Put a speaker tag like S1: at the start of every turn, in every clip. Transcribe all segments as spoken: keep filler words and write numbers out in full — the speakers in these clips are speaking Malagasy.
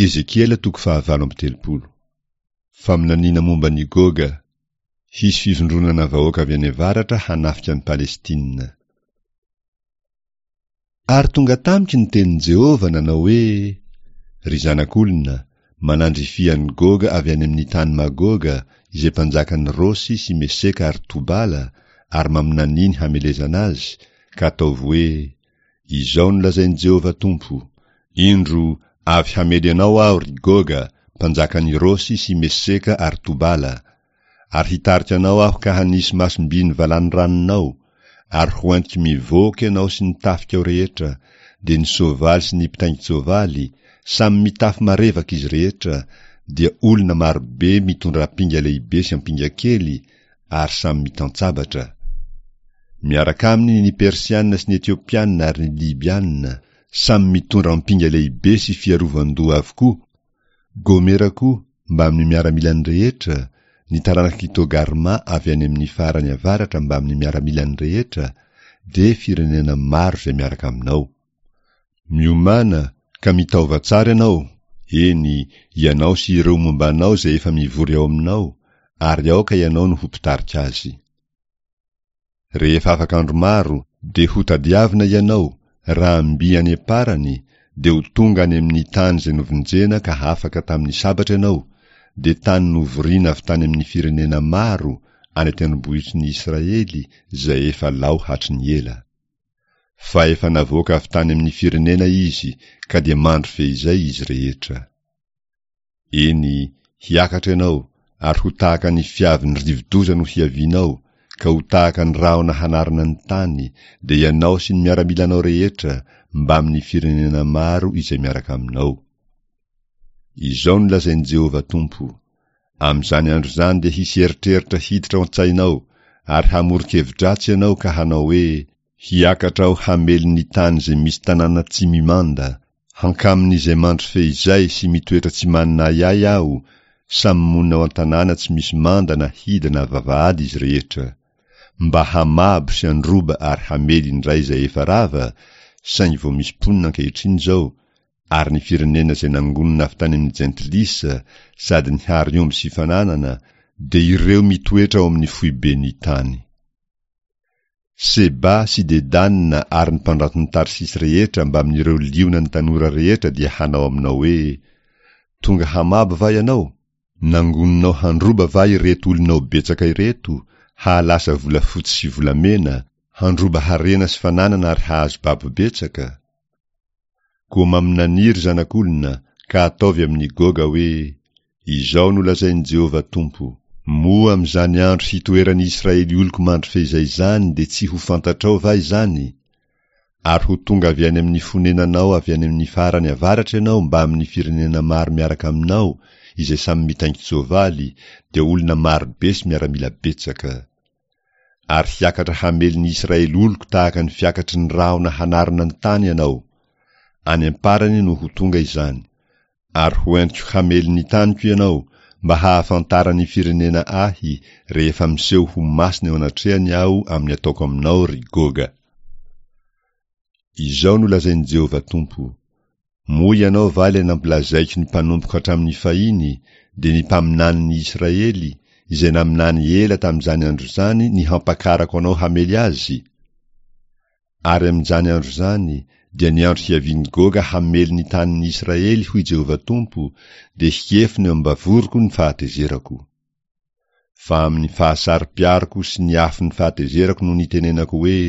S1: Ezekiela toko fahavalo amby telopolo. Faminaniana momba an'i Goga. Hisy fivondronana vahoaka avy any avaratra hanafika an'i Palestina. Ary tonga tamiko ny tenin'i Jehovah nanao hoe, Ry zanak'olona, manandrifia an'i Goga avy any amin'ny tany Magoga, izay mpanjakan'i Rosy sy Meseka ary Tobala, ary maminania ny hamelezana azy, ka ataovy hoe, Izao no lazain'i Jehovah Tompo, Indro, avy hamely anao aho, ry Goga, mpanjakan'i Rosy sy Meseka ary Tobala, ary hitarika anao aho ka hanisy masom-by ny valanoranonao, ary hoentiko mivoaka ianao sy ny tafikao rehetra, dia ny soavaly sy ny mpitaingin-tsoavaly, samy mitafy marevaka izy rehetra, dia olona marobe mitondra ampinga lehibe sy ampinga kely, ary samy mitan-tsabatra. Miaraka aminy ny Persiana sy ny Etiopiana ary ny Libiana, samy mitondra ampinga lehibe sy fiarovan-doha avokoa, Gomera koa, mbamin'ny miaramilany rehetra, ny taranak'i Togarma avy any amin'ny farany avaratra mbamin'ny miaramilany rehetra, dia firenena maro izay miaraka aminao. Miomàna, ka mitaova tsara ianao, eny, ianao sy ireo momba anao izay efa mivory ao aminao, ary aoka ianao no ho mpitarika azy. Rehefa afaka andro maro, dia hotadiavina ianao, raha mby any am-parany, dia ho tonga any amin'ny tany izay novonjena ka afaka tamin'ny sabatra ianao, dia tany novorina avy tany amin'ny firenena maro, any an-tendrombohitry ny Israely, izay efa lao hatry ny ela. Fa efa navoaka avy tany amin'ny firenena izy, ka dia mandry feizay izy rehetra. Eny, hiakatra ianao, ary ho tahaka ny fiavin'ny rivodoza no hiavianao, ka ho tahaka ny rahona hanarona ny tany, dia ianao sy ny miaramilanao rehetra, mbamin'ny firenena maro izay miaraka aminao. Izao no lazain'i Jehovah Tompo, Amin'izany andro izany dia hisy eritreritra hiditra ao an-tsainao, ary hamoron-kevi-dratsy ianao ka hanao hoe, Hiakatra aho hamely ny tany izay misy tanàna tsy mimanda, hankamin'izay mandry feizay sy mitoetra tsy manana ahiahy aho, samy monina ao an-tanàna tsy misy manda na hida na vavahady izy rehetra, mba hamabo sy handroba ary hamely indray izay efa rava, saingy vao misy mponina ankehitriny izao, ary ny firenena izay nangonina avy tany amin'ny jentilisa sady nihary omby sy fananana, dia ireo mitoetra ao amin'ny foiben'ny tany. Seba sy Dedana ary ny mpandranton'i Tarsisy rehetra mbamin'ireo lionan'ny tanora rehetra dia hanao aminao hoe, Tonga hamabo va ianao? Nangoninao handroba va ireto olonao betsaka ireto, hahalasa volafotsy sy volamena, handroba harena sy fananana ary hahazo babo betsaka? Koa maminania, ry zanak'olona, ka ataovy amin'i Goga hoe, Izao no lazain'i Jehovah Tompo, Moa amin'izany andro hitoeran'i Israely oloko mandry feizay izany dia tsy ho fantatrao va izany? Ary ho tonga avy any amin'ny fonenanao avy any amin'ny farany avaratra ianao mbamin'ny firenena maro miaraka aminao izay samy mitaingin-tsoavaly, dia olona maro be sy miaramila betsaka. Ary hiakatra hamely ny Israely oloko tahaka ny fiakatry ny rahona hanarona ny tany ianao. Any am-parany no ho tonga izany. Ary ho entiko hamely ny taniko ianao, mba hahafantaran'ny firenena ahy, rehefa miseho ho masina eo anatrehany aho amin'ny ataoko aminao, ry Goga. Izao no lazain'i Jehovah Tompo, Moa ianao va ilay nampilazaiko ny mpanompoko hatramin'ny fahiny, dia ny mpaminanin'ny Israely, izay naminany ela tamin'izany andro izany ny hampakarako anao hamely azy? Ary amin'izany andro izany, dia ny andro hiavian'i Goga hamely ny tanin'ny Israely, hoy Jehovah Tompo, dia hiefona eo am-bavoroko ny fahatezerako. Fa amin'ny fahasaro-piaroko sy ny afon'ny fahatezerako no nitenenako hoe,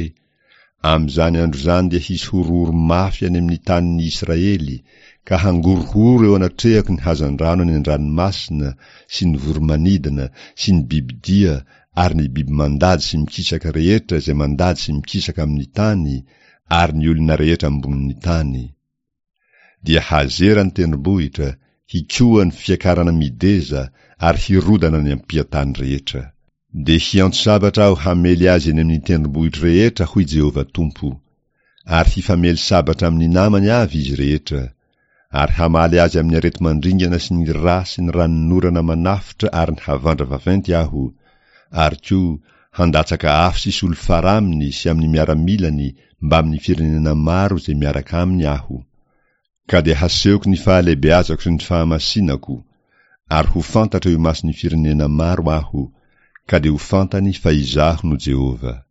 S1: Amin'izany andro izany dia hisy horohoro mafy any amin'ny tanin'ny Israely, ka hangorohoro eo anatrehako ny hazandrano any an-dranomasina sy ny voro-manidina sy ny bibidia ary ny biby mandady sy mikisaka rehetra izay mandady sy mikisaka amin'ny tany ary ny olona rehetra ambonin'ny tany. Dia hazera ny tendrombohitra, hikoa ny fiakarana mideza ary hirodana ny ampiantany rehetra. Dia hiantso sabatra aho hamely azy eny amin'ny tendrombohitro rehetra, hoy Jehovah Tompo. Ary hifamely sabatra amin'ny namany avy izy rehetra. Ary hamaly azy amin'ny areti-mandringana sy ny ra sy ny ranonorana manafotra ary ny havandra vaventy aho, ary koa handatsaka afo sy solifara aminy sy amin'ny miaramilany mbamin'ny firenena maro izay miaraka aminy aho. Ka dia hasehoko ny fahalehibeazako sy ny fahamasinako, ary ho fantatra eo imason'ny firenena maro Aho, ka dia ho fantany fa Izaho no Jehovah.